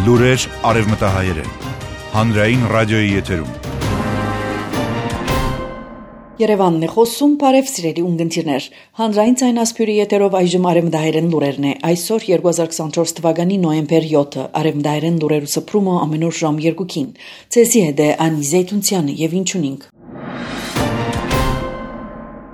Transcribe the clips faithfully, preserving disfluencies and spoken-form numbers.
Լուրեր արևմտահայերեն, հանրային ռադիոյի եթերում։ Երևանն է խոսում, բարև սիրելի ունգընտիրներ։ Հանրային ցայնասփյուրի եթերով այժմ արևմտահայերեն լուրերն է։ Այսօր երկու հազար քսանչորս թվականի նոյեմբեր յոթը, արևմտահայերեն լուրերու սփռումը ամենուր ժամ երկուքին։ Ցեսի հետ է Անի Զեյթունցյանը եւ ինչունինք։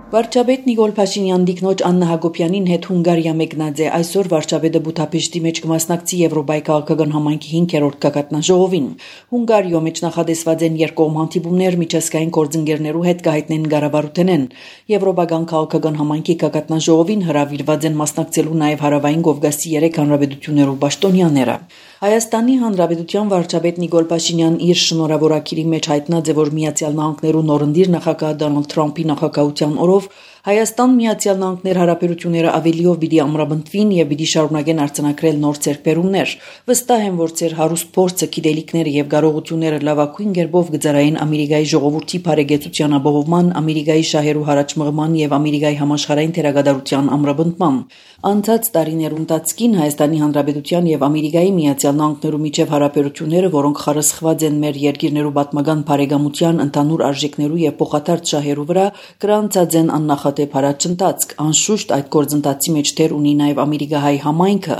Վարչապետ Նիկոլ Փաշինյան դիկնոջ Աննա Հակոբյանին հետ Հունգարիա մեկնած է այսօր վարչապետը Բուդապեշտի մեջ կմասնակցի Եվրոպայի քաղաքական համայնքի հինգերորդ գագաթնաժողովին։ Հունգարիո մեջ նախադեсված են երկկողմ հանդիպումներ միջազգային գործընկերներու հետ կհայտնեն կառավարութենեն։ Եվրոպական քաղաքական համայնքի գագաթնաժողովին հրավիրված են մասնակցելու նաև հարավային Կովկասի երեք հանրապետություններու պաշտոնյաները։ Հայաստանի Հանրապետության վարչապետ Նիկոլ Փաշինյան իր շնորհավորակիրի մեջ հայտնած է, որ Միացյալ Նահանգներու նորընտիր նախագահ Դոնալդ Թրամփի նախագահության օրով Հայաստան Միացյալ Նահանգներ հարաբերությունները ավելիով պիտի ամրապնդվին եւ պիտի շարունակեն արձանագրել նոր ձեռքբերումներ։ Վստահ եմ, որ ձեր հարուստ փորձը, գիտելիքները եւ կարողությունները լավագույն կերպով կծառայեն Ամերիկայի ժողովրդի բարեկեցության ապահովման, Ամերիկայի շահերու հարաճմղման եւ Ամերիկայի համաշխարհային թերագադարության ամրապնդման։ Անցած տարիներու ընթացքին Հայաստանի Հանրապետության եւ Ամերիկայի Միացյալ Նահանգներու միջև հարաբերությունները, որոնք խարսխված են մեր երկիրներու պատմական բարեկամության, ընդհանուր արժեքներու եւ փոխադարձ շահերու վրա, գրանցած են աննախադեպ հարաճընթացք։ Անշուշտ այդ գործընթացի մեջ դեր ունի նաև ամերիկահայ համայնքը։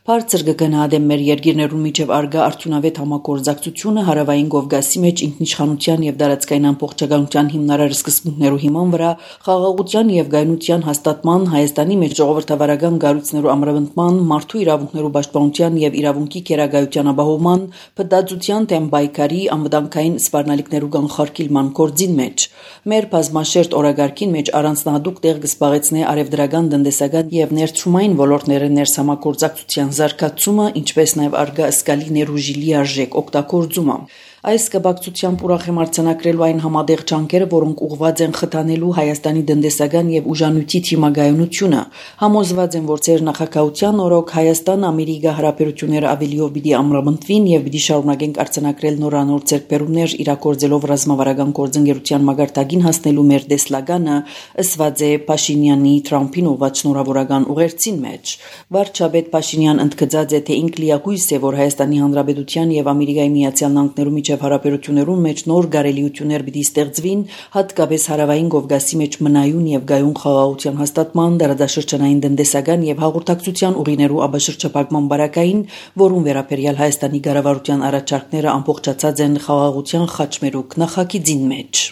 Բարձր կգնահատեմ մեր երկիրներու միջև արգա արդյունավետ համագործակցությունը հարավային Կովկասի մեջ ինքնիշխանության եւ տարածքային ամբողջականության հիմնարար սկզբունքներու հիման վրա, խաղաղության եւ գայունության հաստատման, Հայաստանի մեջ ժողովրդավարական գառույցներու ամրապնդման, մարդու իրավունքներու պաշտպանության եւ իրավունքի գերագայության ապահովման, փտածության դեմ պայքարի, անվտանգային սպառնալիքներու կանխարգելման գործին մեջ։ Մեր բազմաշերտ օրագարկին մեջ առանձնահատուկ տեղ կզբաղեցնե արևդրական, տնտեսական եւ ներդրումային ոլորտները ներսամագործակցության զարգացումը, ինչպես նաեւ արգա զգալի ներուժի լիարժեք օգտագործումը։ Այս կապակցությամբ ուրախ եմ արձանագրելու այն համատեղ ջանքերը, որոնք ուղղված են խթանելու Հայաստանի տնտեսական եւ ուժանույթի թիմագայունությունը։ Համոզված եմ, որ ձեր նախագահության օրոք Հայաստան-Ամերիկա հարաբերությունները ավելիով պիտի ամրապնդվին եւ պիտի շարունակենք արձանագրել նորանոր ձեռքբերումներ իրագործելով ռազմավարական գործընկերության մագարտագին հասնելու մեր տեսլականը, ըսված է Փաշինյանի Թրամփին ուղղված շնորհավորական ուղերձին մեջ։ Վարչապետ Փաշինյան ընդգծած է, թե ինք լիակույս է, որ Հայաստանի Հանրապետության եւ Ամերիկայի Միացյալ Նահանգներու միջև հարաբերություններում մեջ նոր գարելիություններ պիտի ստեղծվին, հատկապես հարավային Կովկասի մեջ մնայուն եւ գայուն խաղաղության հաստատման, դարաշրջանային տնտեսական եւ հաղորդակցության ուղիներու աբաշրջապակման բարակային, որում վերաբերյալ Հայաստանի կառավարության առաջարկները ամբողջացած են խաղաղության խաչմերուկ նախագիծին մեջ։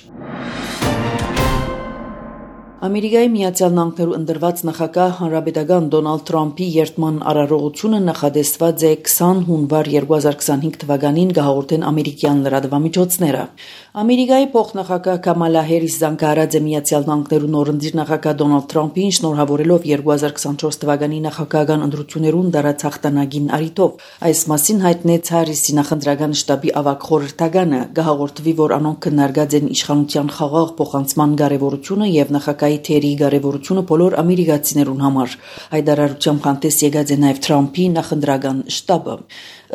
Ամերիկայի Միացյալ Նահանգներու ընդրված նախագահ հանրապետական Դոնալդ Թրամփի երթման արարողությունը նախադեсված է քսան հունվար երկու հազար քսանհինգ թվականին կհաղորդեն ամերիկյան լրատվամիջոցները։ Ամերիկայի փոխնախագահ Կամալա Հարիսը զանգահարած է Միացյալ Նահանգներու նորընտիր նախագահ Դոնալդ Թրամփին շնորհավորելով երկու հազար քսանչորս թվականի նախագահական ընտրություններուն դարած հաղթանակին առիթով։ Այս մասին հայտնեց Հարիսի նախընտրական շտաբի ավագ խորհրդականը։ Կհաղորդվի, որ անոնք քննարկած են իշխանության խաղաղ փոխանցման կարևորությունը եւ նախագահի թերի կարևորությունը բոլոր ամերիկացիներուն համար։ Այդ արարությամբ հանդես եկած է նաև Թրամփի նախընտրական շտաբը։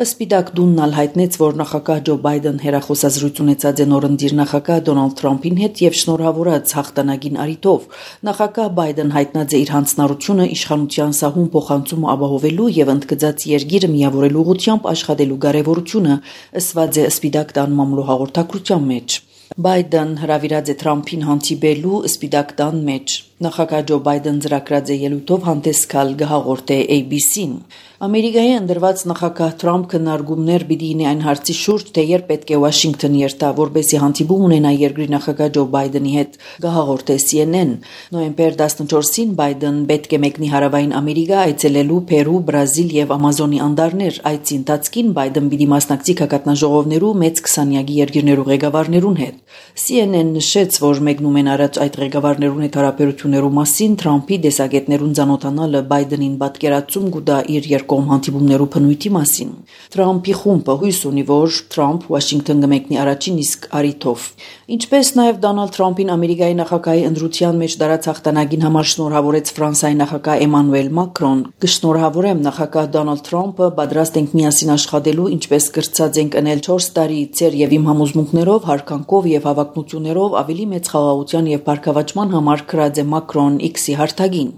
Սպիտակ տունն հայտնեց, որ նախագահ Ջո Բայդեն հերախոսազրույց ունեցած է նորընտիր նախագահ Դոնալդ Թրամփին հետ եւ շնորհավորած հաղթանակին առիթով։ Նախագահ Բայդեն հայտնած է իր հանձնառությունը իշխանության սահուն փոխանցումը ապահովելու եւ ընդգծած երկիրը միավորելու ուղղությամբ աշխատելու կարեւորությունը, ըսված է Սպիտակ տան մամլո հաղորդակցության մեջ։ Բայդեն հրավիրած է Թրամփին հանդիպելու Սպիտակ տան մեջ։ Նախագահ Ջո Բայդեն ծրագրած է ելույթով հանդես գալ կհաղորդե A B C-ն։ Ամերիկայի ընդրված նախագահ Թրամփ քննարկումներ պիտի ունի այն հարցի շուրջ, թե երբ պետք է Վաշինգտոն երթա, որպեսզի հանդիպում ունենա երկրի նախագահ Ջո Բայդենի հետ, կհաղորդե C N N։ Նոյեմբեր տասնչորսին Բայդեն պետք է մեկնի հարավային Ամերիկա, այցելելու Պերու, Բրազիլ եւ Ամազոնի անդարներ։ Այցի ընթացքին Բայդեն պիտի մասնակցի գագաթնաժողովներու մեծ քսանյակի երկրներու ղեկավարներուն հետ։ C N N նշեց, որ մեկնում են առաջ այդ ղեկավարներուն հետ հարաբերություններու մասին Թրամփի դեսագետներուն ծանոթանալը Բայդենին պատկերացում կուտա իր երկկողմ հանդիպումներու բնույթի մասին։ Թրամփի խումբը հույս ունի, որ Թրամփ Վաշինգտոն կմեկնի առաջին իսկ առիթով։ Ինչպես նաև Դոնալդ Թրամփին Ամերիկայի նախագահի ընտրության մեջ դարած հաղթանակին համար շնորհավորեց Ֆրանսիայի նախագահ Էմանուել Մակրոն։ Կշնորհավորեմ նախագահ Դոնալդ Թրամփը, պատրաստ ենք միասին աշխատելու, ինչպես կրծած ենք ընել չորս տարի ծեր եւ իմ համոզմունքներով, հարկանքով եւ հավակնություններով ավելի մեծ խաղաղության եւ բարգավաճման համար քրած է Մակրոն X-ի հարթագին։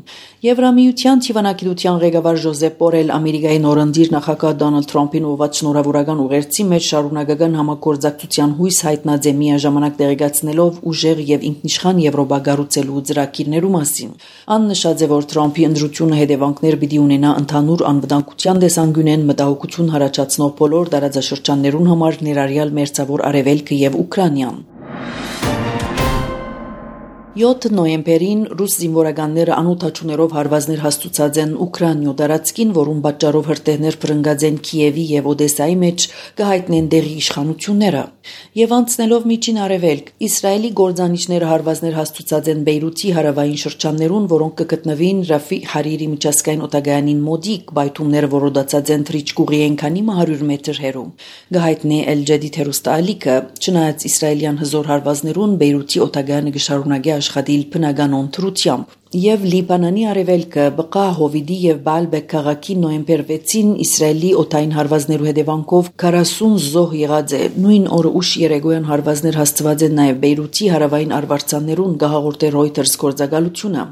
Եվրամիության թիվանակիտության ղեկավար Ժոզեփ Բորել Ամերիկայի նորընտիր նախագահ Դոնալդ Թրամփին ուղղված շնորհավորական ուղերձի մեջ շարունակական համագործակցության հույս հայտնած է միաժամանակ տեղեկացնելով ուժեղ եւ ինքնիշխան Եվրոպա կառուցելու ծրագիրներու մասին։ Ան նշած է, որ Թրամփի ընդրությունը հետևանքներ պիտի ունենա ընդհանուր անվտանգության տեսանկյունեն մտահոգություն հարաճացնող բոլոր տարածաշրջաններուն համար, ներառյալ Մերձավոր Արևելքը եւ Ուկրաինան։ յոթ նոյեմբերին ռուս զինվորականները անօթաչուներով հարվածներ հաստուցած են Ուկրաինայ տարածքին, որում պատճառով հրթիռներ փրկած են Կիևի եւ Օդեսայի մեջ, կհայտնեն դեղի իշխանությունները։ Եվ անցնելով միջին արևելք, Իսրայելի գործանիչները հարվածներ հաստուցած են Բեյրութի հարավային շրջաններուն, որոնք կգտնվին Ռաֆի Հարիրի միջազգային օտագայանին մոտիկ, բայթումները որոդացած են թրիչկուղի ենքանի հարյուր մետր հեռու։ Գահիտնե Էլ Ջադիդ հերոստալիկը, չնայած իսրայելյան հզոր հարվածներուն, Բեյրութի օտագայանը գշարունակի աշխատիլ բնական ընտրությամբ։ Եվ Լիբանանի արևելքը Բկա Հովիդի եւ Բալբեկ քաղաքի նոյեմբեր վեցին Իսրայելի օտային հարվածներու հետևանքով քառասուն զոհ եղած է։ Նույն օրը ուշ երեկոյան հարվածներ հաստված են նաեւ Բեյրութի հարավային արվարձաններուն, գահաղորդե Reuters գործակալությունը։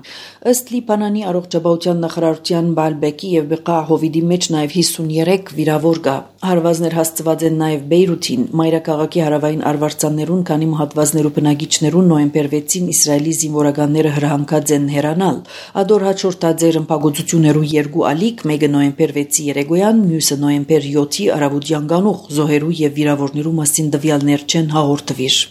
Ըստ Լիբանանի առողջապահության նախարարության Բալբեկի եւ Բկա Հովիդի մեջ նաեւ հիսունյոթ վիրավոր կա։ Հարվածներ հաստված են նաեւ Բեյրութին, մայրաքաղաքի հարավային արվարձաններուն, քանի մահատվածներու բնակիչներուն նոյեմբեր վեցին Իսրայելի զինվորականները հրահանգած են հեռանալ։ Ադոր հաջորդած էր ըմպագործություններու երկու ալիք, մեկը նոյեմբեր վեցի երեկոյան, մյուսը նոյեմբեր յոթի արավոտյան գանուխ, զոհերու եւ վիրավորներու մասին տվյալներ չեն հաղորդվիր։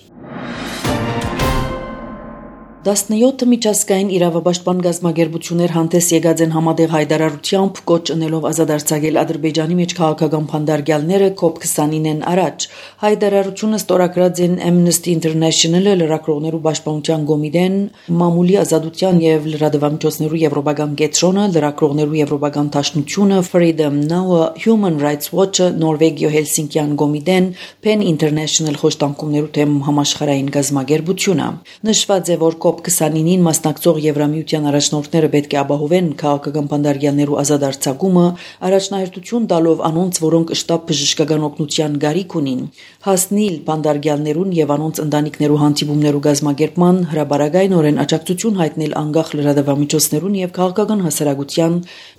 տասնյոթ միջազգային իրավապաշտպան գազམ་ագերբություններ հանդես եկած են համատեղ հայտարարությամբ կոչ ընելով ազատարձակել Ադրբեջանի մեջ քաղաքական փանդարգյալները կոպ քսանինեն առաջ։ Հայտարարությունը ստորագրած են Amnesty International-ը, լրագրողներու պաշտպանության կոմիտեն, մամուլի ազատության եւ լրատվամիջոցներու եվրոպական կենտրոնը, լրագրողներու եվրոպական դաշնությունը, Freedom Now-ը, Human Rights Watch-ը, Նորվեգիո Հելսինկյան կոմիտեն, Pen International խոշտանգումներու թեմ համաշխարհային գազམ་ագերբությունը։ Նշված է, որ կոպ քսանինին մասնակցող Եվրամիության առաջնորդները պետք է ապահովեն քաղաքական փանդարգյալներու ազատ արձակումը, առաջնահերթություն տալով անոնց, որոնք շտապ բժշկական օգնության գարիք ունին, հասնիլ փանդարգյալներուն եւ անոնց ընտանիքներու հանդիպումներու գազམ་ագերբման, հրաբարագայնորեն աջակցություն հայտնել անկախ լրատվամիջոցներուն եւ քաղաքական հասարակության,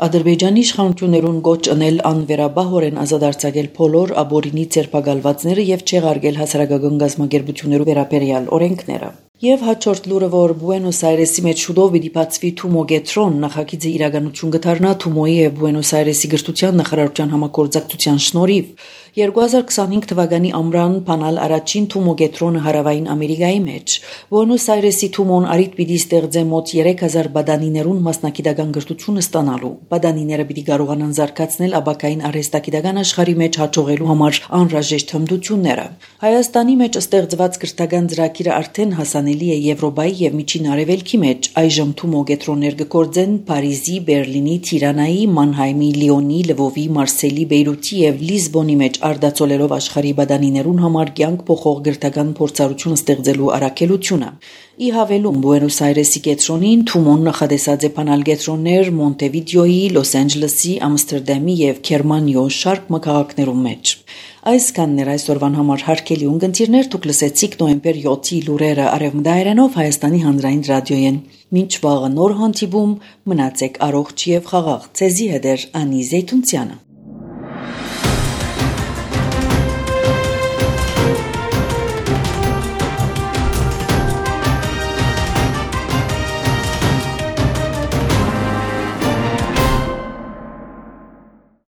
Ադրբեջանի իշխանություններուն կոչ ընել անվերաբահորեն ազատ արձակել բոլոր աբորինի ձերբակալվածները եւ չեղարկել հասարակական գազམ་ագերբություններու վերաբերյալ օրենքները։ Եվ հաջորդ լուրը, որ Բուենոս Այրեսի մեջ շուտով պիտի բացվի Թումո գետրոն, նախագիծը իրականություն կդառնա Թումոյի եւ Բուենոս Այրեսի գրթության նախարարության համագործակցության շնորհիվ։ երկու հազար քսանհինգ թվականի ամռան բանալ առաջին Թումո գետրոնը հարավային Ամերիկայի մեջ։ Բուենոս Այրեսի Թումոն արիտ պիտի ստեղծե մոտ երեք հազար բադանիներուն մասնակիտական գրթությունը ստանալու։ Բադանիները պիտի կարողանան զարգացնել աբակային արհեստագիտական աշխարհի մեջ հաջողելու համար անհրաժեշտ հմտությունները։ Հայաստանի մեջ ստեղծված գրթական ծրագիրը արդեն հասանելի է Եվրոպայի եւ Միջին Արևելքի մեջ։ Այժմ Թումո գետրոններ կգործեն Փարիզի, Բերլինի, Թիրանայի, Մանհայմի, Լիոնի, Լվովի, Մարսելի, Բեյրութի եւ Լիզբոնի մեջ արդացոլելով աշխարհի բադանիներուն համար կյանք փոխող գրթական փորձառություն ստեղծելու առաքելությունը։ Ի հավելում Բուենոս Այրեսի կետրոնին Թումոն նախադեсած է բանալ կետրոններ Մոնտեվիդեոյի, Լոս Անջելեսի, Ամստերդամի եւ Գերմանիո շարք մակաղակներում մեջ։ Այսքանն էր այսօրվան համար հարգելի ունկնդիրներ, դուք լսեցիք նոյեմբեր յոթի լուրերը Արևմտայերենով Հայաստանի հանրային ռադիոյեն։ Մինչ վաղը նոր հանդիպում, մնացեք առողջ եւ խաղաղ։ Ձեզի հետ է Անի Զեյթունցյանը։